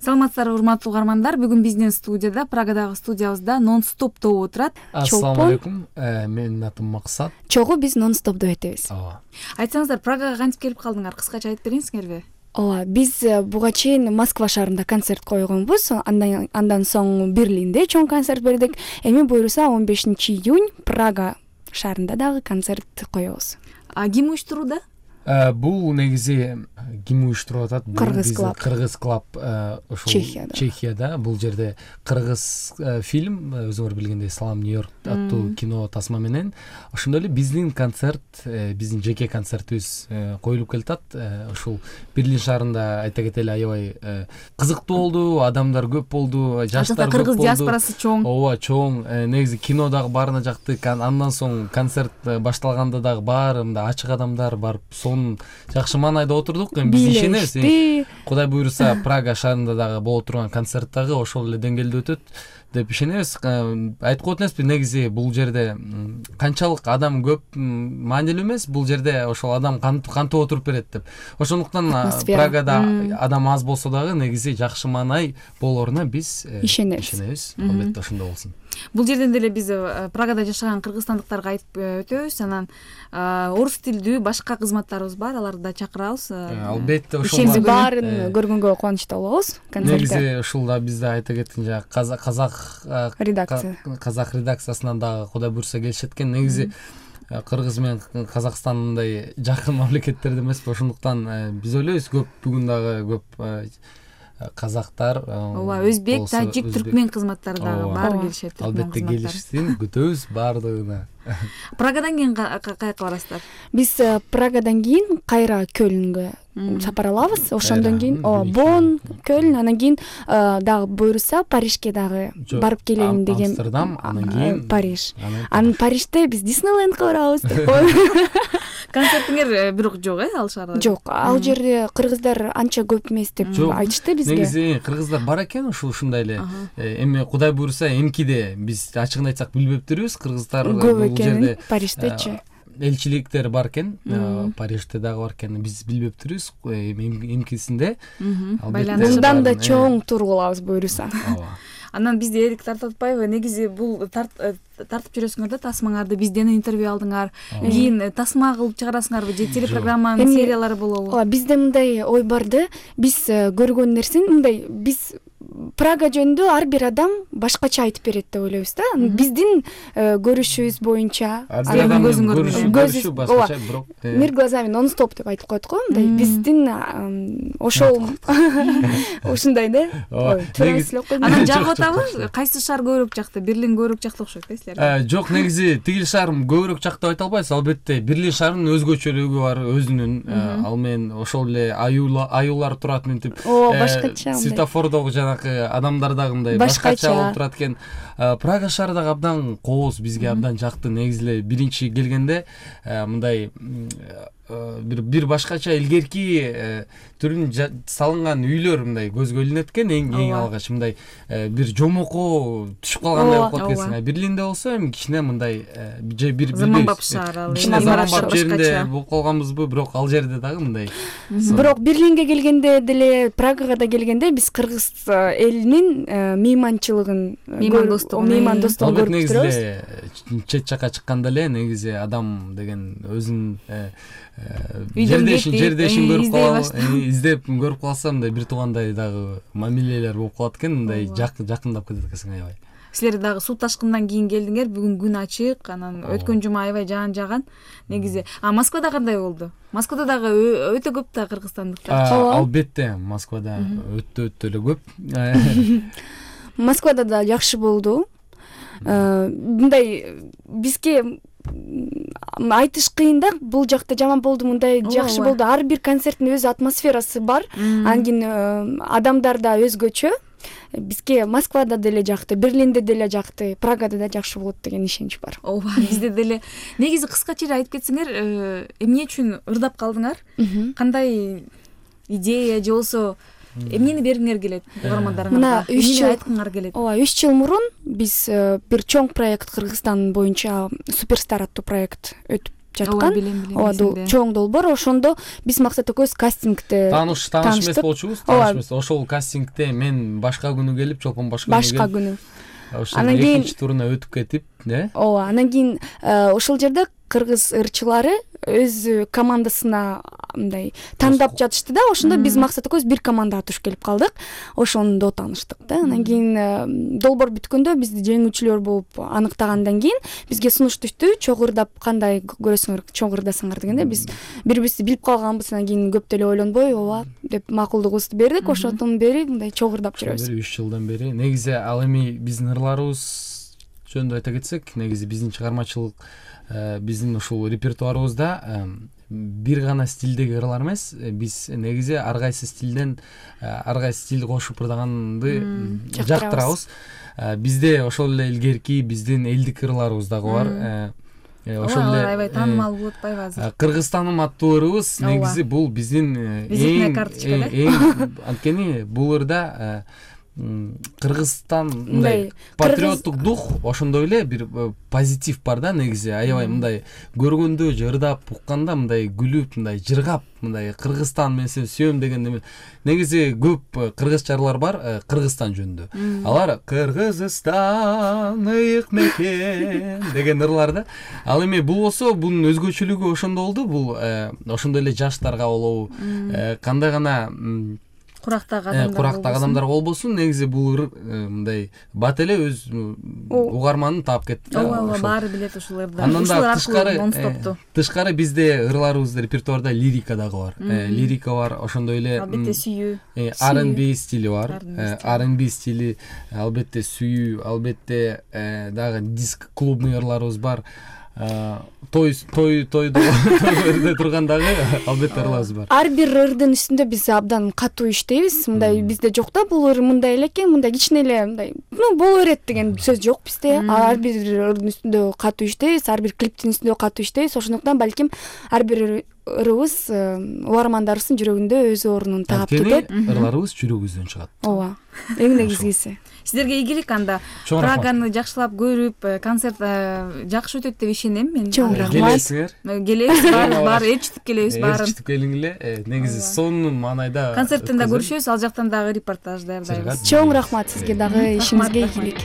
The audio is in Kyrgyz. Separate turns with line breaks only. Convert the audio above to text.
Саламатсыздарбы урматтуу угармандар. Бүгүн биздин студияда, Прагадагы студиябызда Non-Stop тобу отурат.
Ассаламу алейкум. Менин атым Максат.
Чогуу биз Non-Stop деп айтабыз.
Айтсаңыздар, Прагага кантип келип калдыңар? Кыскача айтып бериңизгерби?
Биз буга чейин Москва шаарында концерт койгонбуз. Андан соң Берлинде чоң концерт бердик. Эми буюрса 15-июнь Прага шаарында дагы концерт коебуз.
Ким уюштурууда?
Бул негизи ким уюштуруп атат? Кыргыз клуб ошол Чехияда. Бул жерде кыргыз фильм, өзүңөр билгендей Салам Нью-Йорк аттуу кино тасма менен ошондой эле биздин концерт, биздин жеке концертибиз коюлуп келатат. Ушул Берлин шаарында айта кетели аябай кызыктуу болду, адамдар көп болду, жаштар көп болду.
Кыргыз диаспорасы чоң.
Ооба, чоң. Негизи кино дагы баарына жакты. Андан соң концерт башталганда дагы баары мындай ачык адамдар барып жакшы маанайда отурдук. Эми биз ишенебиз. Кудай буюрса, Прага шаарында дагы боло турган концерт дагы ошол эле деңгээлде өтөт деп ишенебиз. Айтып коет эмеспи, негизи бул жерде канчалык адам көп маанилүү эмес, бул жерде ошол адам кантип отуруп берет деп. Ошондуктан Прагада адам аз болсо дагы негизи жакшы маанай болоруна биз ишенебиз. Албетте ошондой болсун.
Бул жерден деле биз Прагада жашаган кыргызстандыктарга айтып өтөбүз. Анан орус тилдүү башка кызматтарыбыз бар, аларды да чакырабыз.
Албетте
ошол баарын көргөнгө кубанычта болобуз.
Негизи ушул да бизде айта кеткен жана казак редакциясынан дагы кудай буюрса келишет экен. Негизи Кыргыз менен Казакстан мындай жакын мамлекеттер эмеспи, ошондуктан биз ойлойбуз көп бүгүн дагы көп казактар,
өзбек, тажик, түркмен кызматтары дагы баары келишет.
Албетте келишсин, күтөбүз баардыгына.
Прагадан кийин каяка барасыздар?
Биз Прагадан кийин кайра Көлнгө сапар алабыз. Ошондон кийин Бонн, Көлн, анан кийин дагы буюрса Парижге дагы барып келелим деген.
Амстердам, анан кийин
Париж. Анан Парижде биз Диснейлендке барабыз.
Концертиңер бирок жок, ал шаарда?
Жок, ал жерде кыргыздар анча көп эмес деп айтышты бизге.
Негизи кыргыздар бар экен ушундай эле. Эми кудай буюрса эмкиде биз ачыгын айтсак билбептирбиз. Кыргыздар
көп экен Париждечи.
Элчиликтер бар экен, Парижде дагы бар экен, биз билбептирбиз. Эмкисинде
мындан да чоң тур кылабыз буюрса.
Анан бизди эрик тартып атпайбы? Негизи бул тартып жүрөсүңөр да тасмаңарды, бизден интервью алдыңар. Кийин тасма кылып чыгарасыңарбы же телепрограмманын сериялары болобу?
Бизде мындай ой барды. Биз көргөн нерсени мындай, биз Прага жөнүндө ар бир адам башкача айтып берет деп ойлойбуз да. Биздин көрүшүбүз боюнча,
көрүшү башкача, бирок
мир глазами Non-Stop деп айтып коет го, мындай биздин ошол ушундай да.
Анан жагып атабы? Кайсы шаар көбүрөөк жакты? Берлин көбүрөөк жакты окшойт да силерге?
Жок, негизи тигил шаар көбүрөөк жакты деп айта албайбыз. Албетте Берлин шаарынын өзгөчөлүгү бар, өзүнүн. Ал менен ошол эле аюулар турат мынтип.
Башкача.
Светофордогу жанакы адамдар дагы мындай башкача болуп турат экен. Прага шаары дагы абдан кооз, бизге абдан жакты. Негизи эле биринчи келгенде мындай бир башкача илгерки түрүн салынган үйлөр мындай көзгө илинет экен. Эң алгач мындай бир жомоко түшүп калгандай болуп калат экенсиң. Берлинде болсо эми кичине мындай же бир
заманбап шаар,
кичине заманбап жеринде болуп калганбызбы, бирок ал жерде дагы мындай.
Бирок Берлинге келгенде деле, Прагага да келгенде биз кыргыз элинин мейманчылыгын, меймандостугун көрүп турабыз.
Чет жака чыкканда эле негизи адам деген өзүнүн жердешин көрүп калабы, издеп көрүп калса мындай бир туугандай дагы мамилелер болуп калат экен, мындай жакындап кетет экенсиң аябай.
Силер дагы суу ташкындан кийин келдиңер, бүгүн күн ачык, анан өткөн жума аябай жаган. Негизи, Москвада кандай болду? Москвада дагы өтө көп да кыргызстандыктар.
Албетте, Москвада өтө эле көп.
Москвада да жакшы болду. Мындай бизге айтыш кыйын да, бул жакта жаман болду, мындай жакшы болду. Ар бир концерттин өз атмосферасы бар. Анан кийин адамдар да өзгөчө. Бизге Москвада деле жакты, Берлинде деле жакты, Прагада да жакшы болот деген ишенич бар.
Ооба, бизде деле. Негизи кыскача эле айтып кетсеңер, эмне үчүн ырдап калдыңар? Кандай идея же болсо эмнени бергиңер келет угармандарыңарга? Эмнени айткыңар келет?
Ооба, 3 жыл мурун биз бир чоң проект Кыргызстан боюнча Суперстар аттуу проект өтүп жаткан. Ооба, чоң долбоор. Ошондо биз Максат экөөбүз кастингде
тааныш эмес болчубуз. Тааныш эмес. Ошол кастингде мен башка күнү келип, Чолпон башка күнү. Анан кийин экинчи туруна өтүп кетип,
ооба, анан кийин ошол жерде кыргыз ырчылары өз командасына мындай тандап жатышты да. Ошондо биз Максат экөөбүз бир командага туш келип калдык. Ошондо тааныштык да. Анан кийин долбоор бүткөндө бизди жеңүүчүлөр болуп аныктагандан кийин бизге сунуш түштү. Чогурдап кандай көрөсүңөр, чогурдасаңар дегенде биз бири-бирибизди билип калганбыз. Анан кийин көп деле ойлонбой, ооба деп макулдугубузду бердик. Ошондон бери мындай чогурдап жүрөбүз.
3 жылдан бери. Негизи ал эми биздин ырларыбыз жөнүндө айта кетсек, негизи биздин чыгармачылык, биздин ушул репертуарыбызда бир гана стилдеги ырлар эмес, биз негизи ар кайсы стилден ар кайсы стилди кошуп ырдаганды жактырабыз. Бизде ошол эле илгерки биздин элдик ырларыбыз дагы бар. Ошол эле
аябай таанымал болуп атпайбы азыр?
Кыргызстаным аттуу ырыбыз негизи бул биздин эң анткени бул ырда Кыргызстан мындай патриоттук дух, ошондой эле бир позитив бар да негизи. Аябай мындай көргөндө же ырдап укканда мындай күлүп, мындай жыргап, мындай Кыргызстан мен сени сүйөм деген негизи көп кыргызчалар бар Кыргызстан жөнүндө. Алар Кыргызстан ыйык мекен деген ырлар да. Ал эми бул болсо бунун өзгөчөлүгү ошондо болду. Бул ошондой эле жаштарга болобу, кандай гана курактагы адамдарга болбосун, негизи бул мындай бат эле өз угарманын таап кетти.
Ооба, баары билет ушул ырды.
Андан да тышкары бизде ырларыбызда репертуарда лирика дагы бар. Лирика бар, ошондой эле
албетте сүйүү,
R&B стили бар. R&B стили, албетте сүйүү, албетте дагы диск клубный ырларыбыз бар. Тойдо тургандагы албетте ырларыбыз бар.
Ар бир ырдын үстүндө биз абдан катуу иштейбиз. Мындай бизде жок да, бул ыр мындай эле экен, мындай кичине эле мындай боло берет деген сөз жок бизде. Ар бир ырдын үстүндө катуу иштейбиз, ар бир клиптин үстүндө катуу иштейбиз. Ошондуктан балким ар бир ырыбыз угармандарыбыздын жүрөгүндө өз ордун таап кетет.
Ырларыбыз жүрөгүбүздөн чыгат.
Ооба, эң негизгиси.
Сиздерге ийгилик анда. Праганы жакшылап көрүп, концерт жакшы өтөт деп ишенем мен.
Келесиңер?
Келебиз, баары ээрчитип келебиз баарын.
Ээрчитип келиңиле. Негизи сонун маанайда
концерттен да көрүшөбүз, ал жактан дагы репортаж даярдайбыз.
Чоң рахмат сизге дагы, ишиңизге ийгилик.